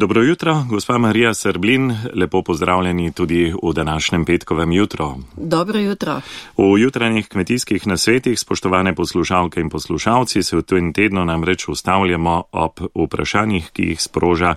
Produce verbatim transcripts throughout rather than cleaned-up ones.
Dobro jutro, gospa Marija Srblin, lepo pozdravljeni tudi v današnjem petkovem jutru. Dobro jutro. V jutranjih kmetijskih nasvetih, spoštovane poslušalke in poslušalci, se v tem tednu namreč ustavljamo ob vprašanjih, ki jih sproža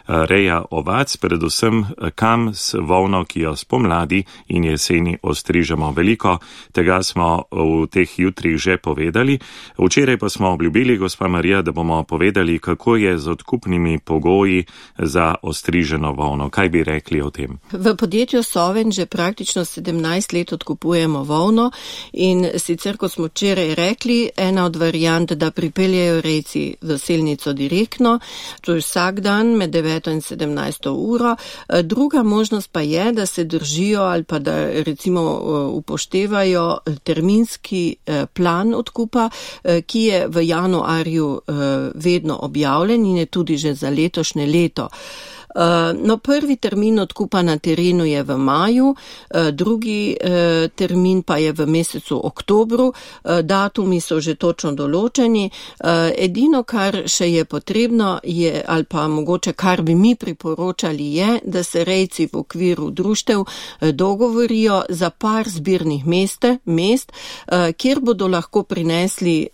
reja ovac, predvsem kam s volno, ki jo spomladi in jeseni ostrižemo. Veliko tega smo v teh jutrih že povedali. Včeraj pa smo obljubili, gospa Marija, da bomo povedali, kako je z odkupnimi pogoji za ostriženo volno. Kaj bi rekli o tem? V podjetju Soven že praktično sedemnajst let odkupujemo volno in sicer, kot smo včeraj rekli, ena od variant, da pripeljejo rejci v selnico direktno, to je vsak dan med deveto in sedemnajsto uro. Druga možnost pa je, da se držijo ali pa da recimo upoštevajo terminski plan odkupa, ki je v januarju vedno objavljen in je tudi že za letošnje leto. No, prvi termin odkupa na terenu je v maju, drugi termin pa je v mesecu oktobru, datumi so že točno določeni. Edino, kar še je potrebno, je, ali pa mogoče kar bi mi priporočali, je, da se rejci v okviru društev dogovorijo za par zbirnih meste, mest, kjer bodo lahko prinesli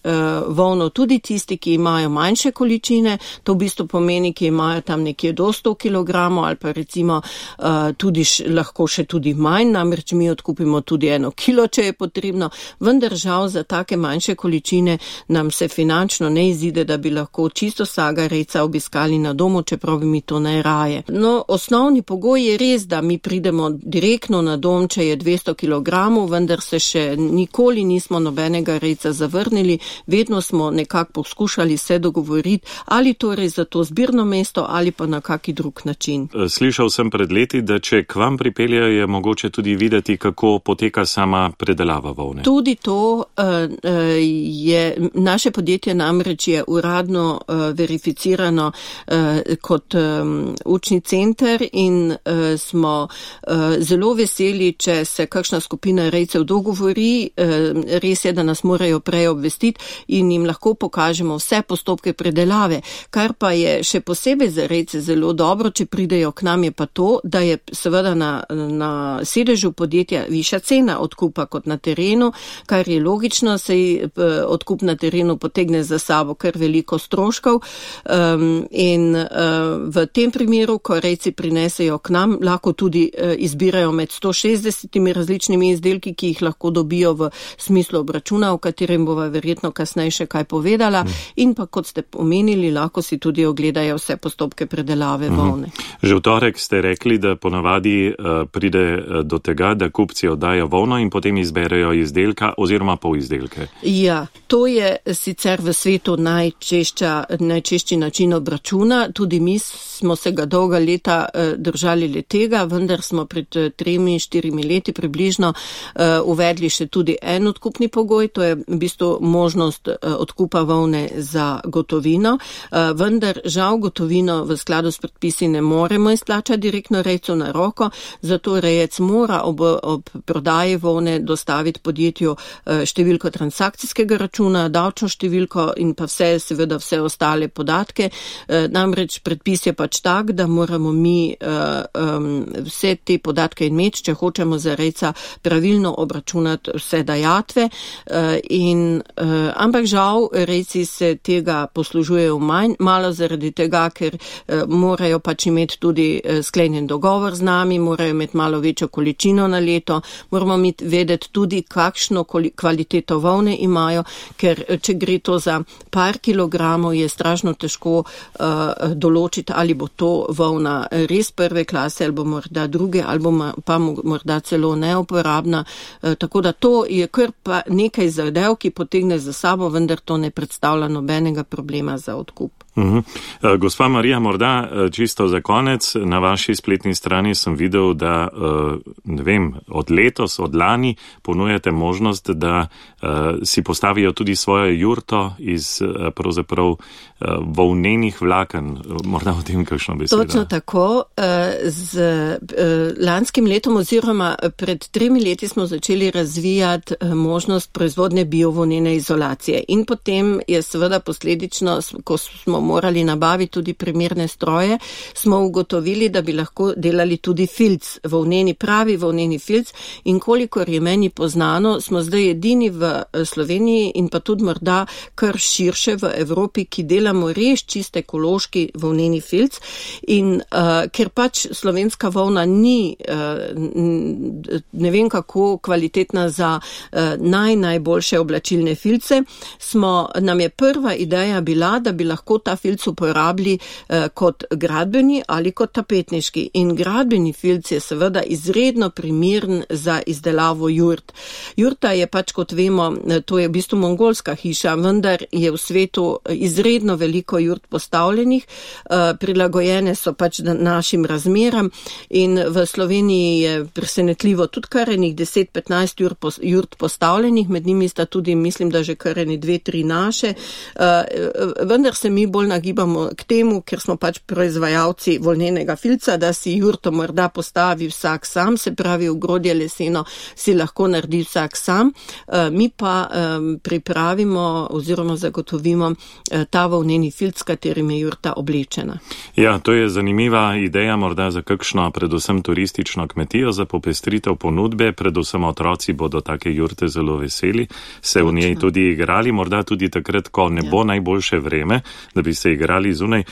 volno tudi tisti, ki imajo manjše količine, to v bistvu pomeni, ki imajo tam nekje do sto kilogramov ali pa recimo uh, tudi š, lahko še tudi manj, namreč mi odkupimo tudi eno kilo, če je potrebno, vendar žal za take manjše količine nam se finančno ne izide, da bi lahko čisto vsega rejca obiskali na domu, čeprav bi mi to najraje. No, osnovni pogoj je res, da mi pridemo direktno na dom, če je dvesto kilogramov, vendar se še nikoli nismo nobenega rejca zavrnili, vedno smo nekako poskušali se dogovoriti, ali torej za to zbirno mesto ali pa na kaki drug način. Slišal sem pred leti, da če k vam pripeljajo, je mogoče tudi videti, kako poteka sama predelava volne. Tudi to je, naše podjetje namreč je uradno verificirano kot učni center in smo zelo veseli, če se kakšna skupina rejcev dogovori, res je, da nas morajo prej obvestiti in jim lahko pokažemo vse postopke predelave, kar pa je še posebej za rejce zelo dobro, če pridejo k nam, je pa to, da je seveda na, na sedežu podjetja višja cena odkupa kot na terenu, kar je logično, saj odkup na terenu potegne za sabo kar veliko stroškov um, in uh, v tem primeru, ko rejci prinesejo k nam, lahko tudi uh, izbirajo med sto šestdesetimi različnimi izdelki, ki jih lahko dobijo v smislu obračuna, o katerem bova verjetno kasneje še kaj povedala, mm. in pa kot ste omenili, lahko si tudi ogledajo vse postopke predelave volne. Že v torek ste rekli, da ponavadi uh, pride do tega, da kupci oddajo volno in potem izberejo izdelka oziroma polizdelke. Ja, to je sicer v svetu najčešča, najčešči način obračuna. Tudi mi smo se ga dolga leta uh, držali le tega, vendar smo pred uh, tremi, štirimi leti približno uh, uvedli še tudi en odkupni pogoj, to je v bistvu možnost uh, odkupa volne za gotovino, uh, vendar žal gotovino v skladu s predpisi ne moremo izplačati direktno rejcu na roko, zato rejec mora ob, ob prodaji volne dostaviti podjetju številko transakcijskega računa, davčno številko in pa vse, seveda vse ostale podatke. Namreč predpis je pač tak, da moramo mi vse te podatke imeti, če hočemo za rejca pravilno obračunati vse dajatve. In, ampak žal rejci se tega poslužujejo manj, malo zaradi tega, ker morajo pač imeti tudi sklenjen dogovor z nami, morajo imeti malo večjo količino na leto, moramo imeti vedeti tudi, kakšno kvaliteto volne imajo, ker če gre to za par kilogramov, je strašno težko uh, določiti, ali bo to volna res prve klase, ali bo morda druge, ali bo pa morda celo neuporabna. Uh, tako da to je kar pa nekaj zadev, ki potegne za sabo, vendar to ne predstavlja nobenega problema za odkup. Uh-huh. Gospa Marija, morda čisto za konec, na vaši spletni strani sem videl, da ne vem, od letos, od lani ponujate možnost, da si postavijo tudi svojo jurto iz pravzaprav volnenih vlaken. Morda o tem kakšno besedo. Točno tako. Z lanskim letom oziroma pred tremi leti smo začeli razvijati možnost proizvodne biovolnene izolacije in potem je seveda posledično, ko smo morali nabaviti tudi primerne stroje, smo ugotovili, da bi lahko delali tudi filc, volneni pravi volneni filc, in kolikor je meni poznano, smo zdaj edini v Sloveniji in pa tudi morda kar širše v Evropi, ki delamo res čist ekološki volneni filc, in uh, ker pač slovenska volna ni uh, ne vem kako kvalitetna za uh, naj, najboljše oblačilne filce, smo, nam je prva ideja bila, da bi lahko ta filc uporabili uh, kot gradbeni ali kot tapetniški. In gradbeni filc je seveda izredno primeren za izdelavo jurt. Jurta je pač, kot vemo, to je v bistvu mongolska hiša, vendar je v svetu izredno veliko jurt postavljenih, uh, prilagojene so pač našim razmeram in v Sloveniji je presenetljivo tudi kar enih deset petnajst jurt postavljenih, med njimi sta tudi, mislim, da že kar eni dve, tri naše, uh, vendar se mi bolj nagibamo k temu, ker smo pač proizvajalci volnenega filca, da si jurto morda postavi vsak sam, se pravi ogrodje leseno si lahko naredi vsak sam, uh, mi pa um, pripravimo oziroma zagotovimo uh, ta volneni filc, s katerim je jurta oblečena. Ja, to je zanimiva ideja morda za kakšno predvsem turistično kmetijo za popestritev ponudbe, predvsem otroci bodo take jurte zelo veseli, se v njej tudi igrali, morda tudi takrat, ko ne bo ja. najboljše vreme, da bi se igrali zunaj.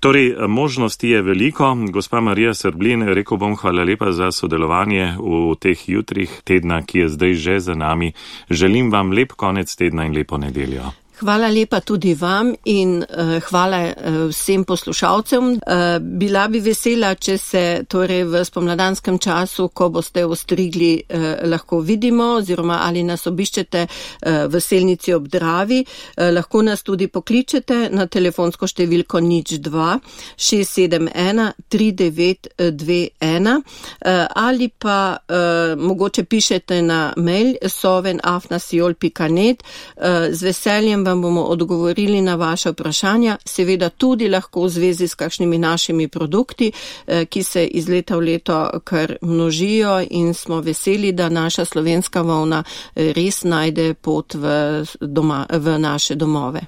Torej, možnosti je veliko. Gospa Marija Srblin, rekel bom hvala lepa za sodelovanje v teh jutrih tedna, ki je zdaj že za nami. Želim vam lep konec tedna in lepo nedeljo. Hvala lepa tudi vam in uh, hvala uh, vsem poslušalcem. Uh, bila bi vesela, če se torej v spomladanskem času, ko boste ostrigli, uh, lahko vidimo oziroma ali nas obiščete uh, v Selnici ob Dravi. Uh, lahko nas tudi pokličete na telefonsko številko nič dva šest sedem ena tri devet dve ena uh, ali pa uh, mogoče pišete na mail soven afna siol pika net. Uh, z veseljem vam bomo odgovorili na vaše vprašanja, seveda tudi lahko v zvezi s kakšnimi našimi produkti, ki se iz leta v leto kar množijo in smo veseli, da naša slovenska volna res najde pot v, doma, v naše domove.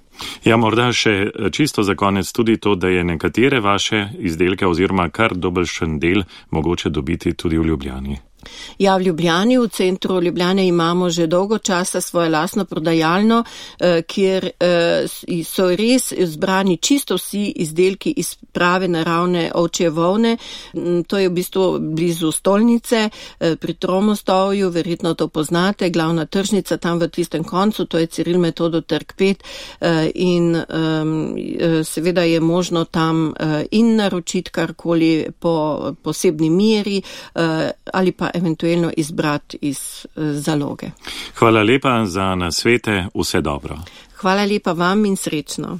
Ja, morda še čisto za konec tudi to, da je nekatere vaše izdelke oziroma kar dobršen del mogoče dobiti tudi v Ljubljani. Ja, v Ljubljani, v centru Ljubljane imamo že dolgo časa svoje lastno prodajalno, kjer so res zbrani čisto vsi izdelki iz prave naravne ovčje volne. To je v bistvu blizu stolnice, pri Tromostovju, verjetno to poznate, glavna tržnica tam v tistem koncu, to je Ciril Metodo trg pet in seveda je možno tam in naročiti karkoli po posebni meri ali pa eventualno izbrati iz zaloge. Hvala lepa za nasvete, vse dobro. Hvala lepa vam in srečno.